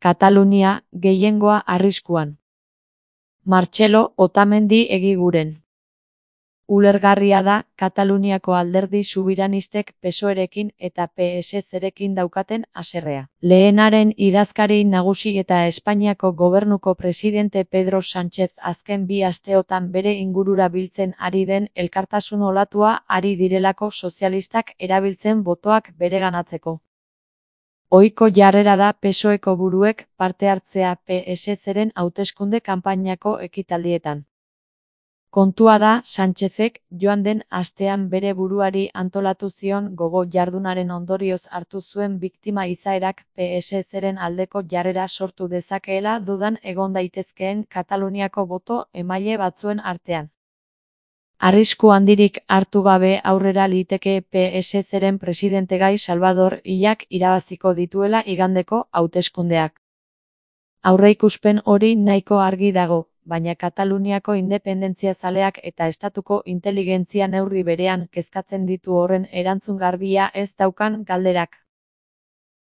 Katalunia, gehiengoa arriskuan. Martxelo Otamendi egiguren. Ulergarria da Kataluniako alderdi subiranistek PSOErekin eta PSZ-rekin daukaten haserrea. Lehenaren idazkari nagusi eta Espainiako gobernuko presidente Pedro Sánchez azken 2 asteotan bere ingurura biltzen ari den elkartasun olatua ari direlako sozialistak erabiltzen botoak bereganatzeko. Ohiko jarrera da PSOEko buruek parte hartzea PSZ-ren hauteskunde kanpainako ekitaldietan. Kontua da Sánchezek joan den astean bere buruari antolatu zion gogo jardunaren ondorioz hartu zuen biktima izaerak PSZ-ren aldeko jarrera sortu dezakeela dudan egon daitezkeen Kataluniako boto emaile batzuen artean. Arrisku handirik hartu gabe aurrera liteke PSZ-ren presidentegai Salvador Illak irabaziko dituela igandeko hauteskundeak. Aurreikuspen hori nahiko argi dago, baina Kataluniako independentzia-zaleak eta estatuko inteligentzia neurri berean kezkatzen ditu horren erantzun garbia ez daukan galderak.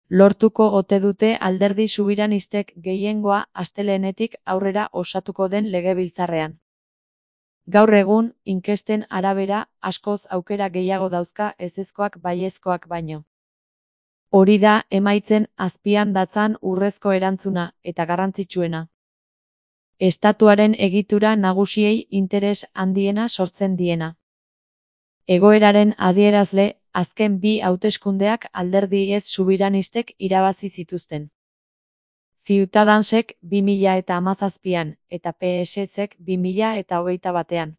Lortuko ote dute alderdi subiranistek gehiengoa astelehenetik aurrera osatuko den legebiltzarrean. Gaur egun, inkesten arabera, askoz aukera gehiago dauzka ezezkoak baiezkoak baino. Hori da emaitzen azpian datzan urrezko erantzuna eta garrantzitsuena. Estatuaren egitura nagusiei interes handiena sortzen diena. Egoeraren adierazle, azken 2 hauteskundeak alderdi ez subiranistek irabazi zituzten. Ciudadansek 2017an eta PSZ-ek 2021an.